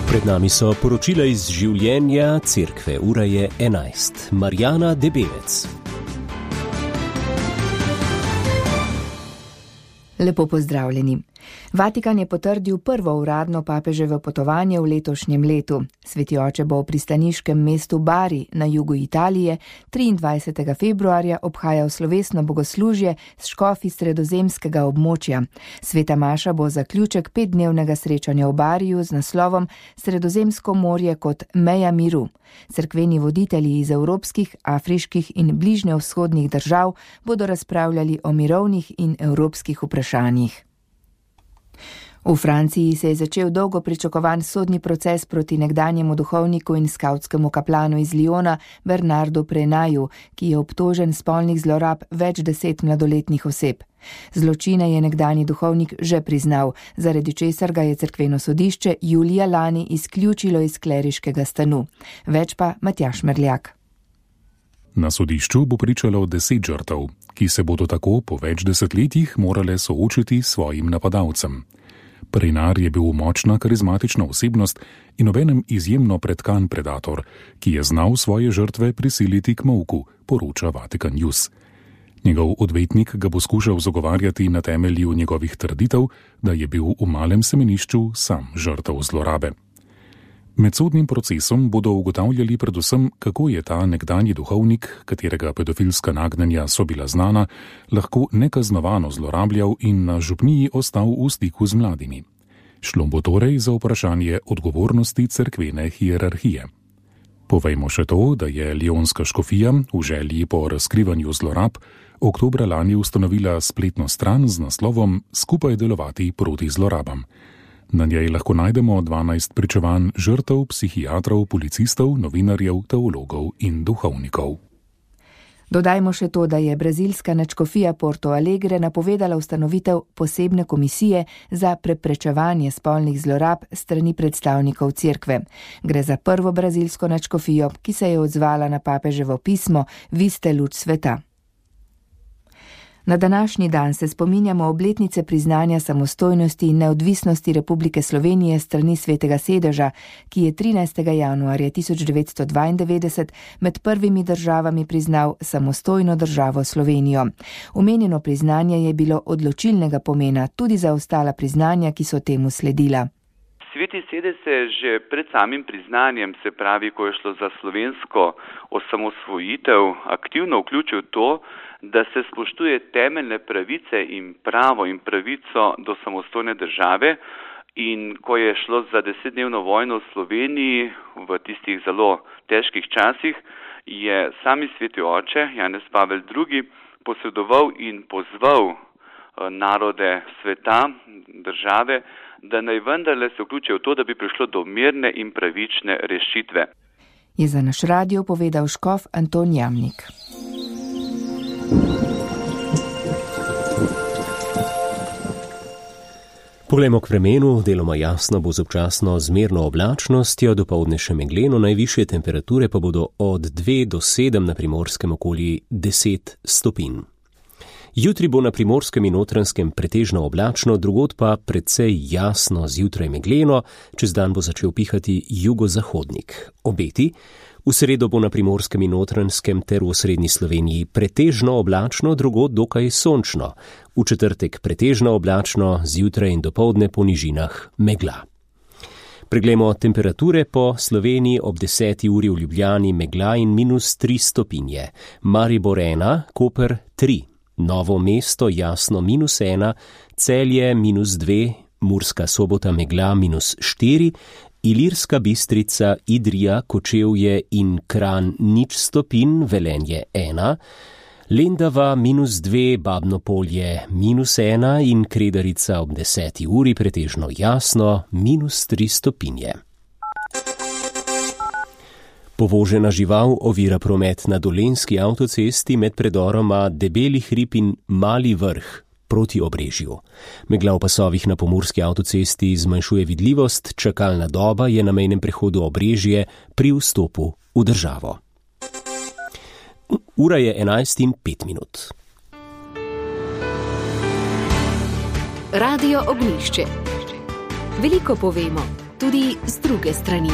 Pred nami so poročila iz življenja cerkve. Ura je 11. Marjana Debevec. Lepo pozdravljeni. Vatikan je potrdil prvo uradno papeževo potovanje v letošnjem letu. Sveti oče bo v pristaniškem mestu Bari na jugu Italije 23. februarja obhajal slovesno bogoslužje s škofi sredozemskega območja. Sveta maša bo zaključek 5-dnevnega srečanja v Bariju z naslovom Sredozemsko morje kot meja miru. Cerkveni voditelji iz evropskih, afriških in bližnjevzhodnih držav bodo razpravljali o mirovnih in evropskih vprašanjih. V Franciji se je začel dolgo pričakovan sodni proces proti nekdanjemu duhovniku in skavtskemu kaplanu iz Lyona Bernardu Prenaju, ki je obtožen spolnih zlorab več 10 mladoletnih oseb. Zločine je nekdanji duhovnik že priznal, zaradi česar ga je cerkveno sodišče julija lani izključilo iz kleriškega stanu. Več pa Matjaž Merljak. Na sodišču bo pričalo 10 žrtev, ki se bodo tako po več desetletjih morale soočiti s svojim napadalcem. Prenar je bil močna karizmatična osebnost in obenem izjemno pretkan predator, ki je znal svoje žrtve prisiliti k molku, poroča Vatikan News. Njegov odvetnik ga bo skušal zagovarjati na temelju njegovih trditev, da je bil v malem semenišču sam žrtev zlorabe. Med sodnim procesom bodo ugotavljali predvsem, kako je ta nekdanji duhovnik, katerega pedofilska nagnjenja so bila znana, lahko nekaznovano zlorabljal in na župniji ostal v stiku z mladimi. Šlo bo torej za vprašanje odgovornosti cerkvene hierarhije. Povejmo še to, da je lionska škofija v želji po razkrivanju zlorab oktobra lani ustanovila spletno stran z naslovom Skupaj delovati proti zlorabam. Na njej lahko najdemo 12 pričevanj žrtev, psihiatrov, policistov, novinarjev, teologov in duhovnikov. Dodajmo še to, da je brazilska nadškofija Porto Alegre napovedala ustanovitev posebne komisije za preprečevanje spolnih zlorab strani predstavnikov cerkve. Gre za prvo brazilsko nadškofijo, ki se je odzvala na papeževo pismo Vi ste luč sveta. Na današnji dan se spominjamo obletnice priznanja samostojnosti in neodvisnosti Republike Slovenije strani Svetega sedeža, ki je 13. januarja 1992 med prvimi državami priznal samostojno državo Slovenijo. Omenjeno priznanje je bilo odločilnega pomena tudi za ostala priznanja, ki so temu sledila. Sveti sedež se že pred samim priznanjem, se pravi, ko je šlo za slovensko osamosvojitev, aktivno vključil to, da se spoštuje temeljne pravice in pravo in pravico do samostojne države, in ko je šlo za 10-dnevno vojno v Sloveniji v tistih zelo težkih časih, je sami sveti oče Janez Pavel II posredoval in pozval narode sveta, države, da naj vendarle se vključijo v to, da bi prišlo do mirne in pravične rešitve. Je za naš radio povedal škof Anton Jamnik. Poglejmo k vremenu, deloma jasno bo z občasno zmerno oblačnostjo, dopoldne še megleno, najvišje temperature pa bodo od 2 do 7 na Primorskem okoli 10 stopinj. Jutri bo na Primorskem in Notranjskem pretežno oblačno, drugod pa precej jasno, zjutraj megleno, čez dan bo začel pihati jugozahodnik. Obeti: v sredo bo na Primorskem in Notranjskem ter v osrednji Sloveniji pretežno oblačno, drugod dokaj sončno. V četrtek pretežno oblačno, zjutraj in dopoldne po nižinah megla. Preglejmo temperature po Sloveniji. Ob 10. uri v Ljubljani megla in -3 stopinje. Maribor 1, Koper 3. Novo mesto jasno -1, Celje -2, Murska Sobota megla -4, Ilirska Bistrica, Idrija, Kočevje in Kranj 0 stopinj, Velenje 1, Lendava -2, Babno Polje -1 in Kredarica ob 10. uri pretežno jasno -3 stopinje. Povožena žival ovira promet na Dolenjski avtocesti med predoroma Debeli hrib in Mali vrh proti Obrežju. Megla v pasovih na Pomurski avtocesti zmanjšuje vidljivost, čakalna doba je na mejnem prehodu Obrežje pri vstopu v državo. Ura je 11:05. Radio Ognjišče. Veliko povemo, tudi z druge strani.